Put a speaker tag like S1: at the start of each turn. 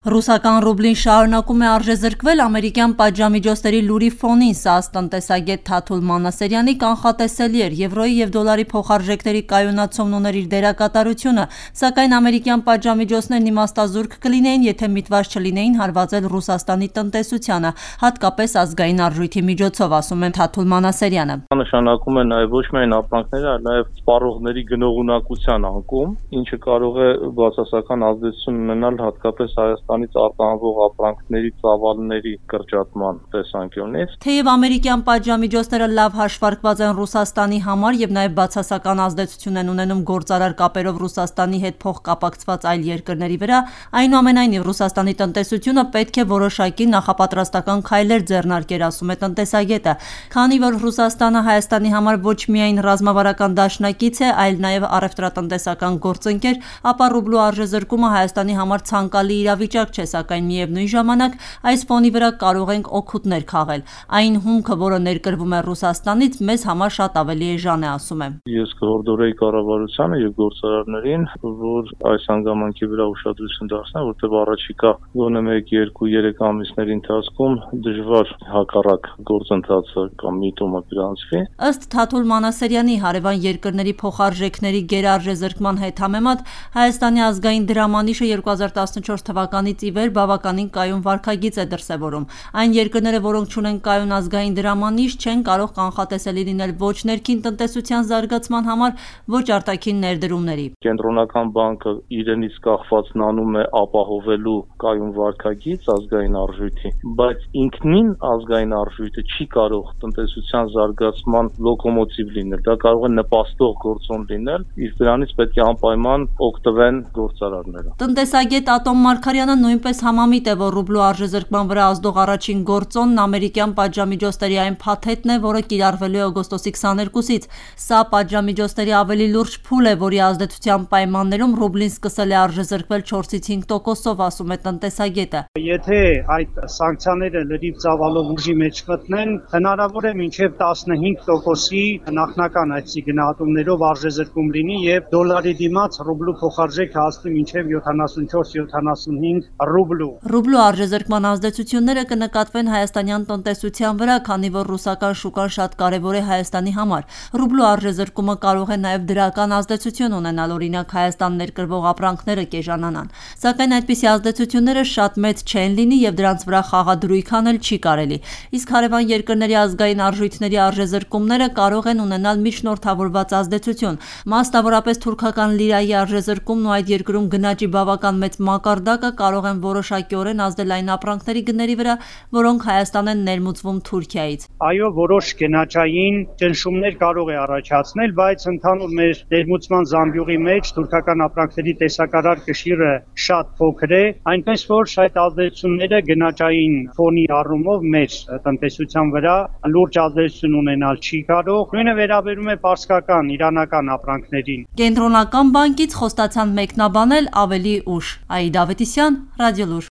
S1: Ռուսական ռուբլին շարունակում է արժեզրկվել ամերիկյան պատժամիջոցների լուրի ֆոնին, սա ըստ տնտեսագետ Թաթուլ Մանասերյանի կանխատեսելի էր։ Եվրոյի և դոլարի փոխարժեքների կայունացումն ուներ իր դերակատարությունը, սակայն ամերիկյան պատժամիջոցներն իմաստազուրկ կլինեին, եթե միտված չլինեին հարվածել Ռուսաստանի տնտեսությանը, հատկապես ազգային արժույթի միջոցով, ասում է Թաթուլ Մանասերյանը։
S2: Նշանակում է նաև ոչ միայն ապրանքների, այլ նաև սպառողների գնողունակության անկում, ինչը կարող է բացասական ազդեցություն ունենալ հատկապես Հայաստանից արտահանվող ապրանքների ծավալների կրճատման տեսանկյունից։
S1: Թեև ամերիկյան պատժամիջոցները լավ հաշվարկված են Ռուսաստանի համար և նաև բացասական ազդեցություն են ունենում գործարար կապերով Ռուսաստանի հետ փոխկապակցված այլ երկրների վրա, այնուամենայնիվ Ռուսաստանի տնտեսությունը պետք է որոշակի նախապատրաստական քայլեր ձեռնարկեր, ասում է տնտեսագետը, քանի որ Ռուսաստանը Հայաստանի համար ոչ միայն ռազմավարական դաշնակից է, այլ նաև առևտրատնտեսական գործընկեր, ապա ռուբլու արժեզրկումը Հայաստանի համար ցանկալի իրավիճակ չէ, սակայն միևնույն ժամանակ այս ֆոնի վրա կարող ենք օգուտներ քաղել։ Այն հումքը, որը ներկրվում է Ռուսաստանից, մեզ համար շատ ավելի էժան է, ասում է։
S2: Ես կհորդորեի կառավարությանը եւ գործարարներին, որ այս հանգամանքի վրա ուշադրություն դարձնեն, որտեղ առաջիկա գոնե 1-2-3 ամիսների ընթացքում դժվար հակառակ գործընթացը կամ միտումը գրանցվի։
S1: Ըստ Թաթուլ Մանասերյանի, հարևան երկրների փոխարժեքների գերարժեզրկման հետ համեմատ Հայաստանի ազգային դրամանիշը 2014 թվականից ի վեր բավականին կայուն վարքագիծ է դրսևորում։ Այն երկրները, որոնք չունեն կայուն ազգային դրամանիշ, չեն կարող կանխատեսելի լինել ոչ ներքին տնտեսության զարգացման համար, ոչ արտաքին ներդրումների։
S2: Կենտրոնական բանկը իրենից կախվածն անում է ապահովելու կայուն վարքագիծ ազգային արժույթի, բայց ինքնին ազգային արժույթը չի կարող տնտեսության զարգացման լոկոմոտիվ լինել։ Դա կարող է նպաստող գործոն լինել, իսկ դրանից պետք է անպայման օգտվեն գործարարները։
S1: Տնտեսագետ Ատոմ Մարգարյանը նույնպես համամիտ է, որ ռուբլու արժեզրկման վրա ազդող առաջին գործոնն ամերիկյան պատժամիջոցների այն փաթեթն է, որը կիրառվելու է օգոստոսի 22-ից։ Սա պատժամիջոցների ավելի լուրջ փուլ է, որի ազդեցության պայմաններում ռուբլին սկսել է արժեզրկվել 4-ից 5%-ով, ասում է տնտեսագետը։
S3: Եթե այդ սանկցիաները լրիվ ծավալով ուժի մեջ մտնեն, հնարավոր է մինչև 15%-ի նախնական այսի գնահատումներով արժեզրկում լինի եւ դոլարի դիմաց ռուբլու փոխարժեք հասնի մինչև 74-75 ռուբլու։
S1: Ռուբլու արժեզրկման ազդեցությունները կնկատվեն հայաստանյան տնտեսության վրա, քանի որ ռուսական շուկան շատ կարևոր է Հայաստանի համար։ Ռուբլու արժեզրկումը կարող է նաև դրական ազդեցություն ունենալ, օրինակ Հայաստան ներկրվող ապրանքները կեժանանան։ Սակայն այդպիսի ազդեցությունները շատ մեծ չեն լինի եւ դրանց վրա խաղադրույք անել չի կարելի։ Իսկ հարևան երկրների ազգային արժույթների արժեզրկումները կարող են ունենալ միջնորդավորված ազդեցություն։ Մասնավորապես թուրքական լիրայի արժեզրկումն ու այդ երկրում գնաճի բավական մեծ մակարդակը կարող են որոշակիորեն ազդել այն ապրանքների գների վրա, որոնք Հայաստան են ներմուծվում Թուրքիայից։
S3: Այո, որոշ գնաճային ճնշումներ կարող է առաջացնել, բայց ընդհանուր մեր ներմուծման զամբյուղի մեջ թուրքական ապրանքների տեսակարար կշիռը շատ փոքր է, այնպես որ այդ ազդեցությունները գնաճային ֆոնի առումով մեր տնտեսության վրա լուրջ ազդեցություն ունենալ չի կարող։ Նույնը վերաբերում է պարսկական, իրանական ապրանքներին։
S1: Կենտրոնական բանկից խոստացան մեկնաբանել ավելի ուշ։ Աիդա Ավետիսյան, Ռադիոլուր։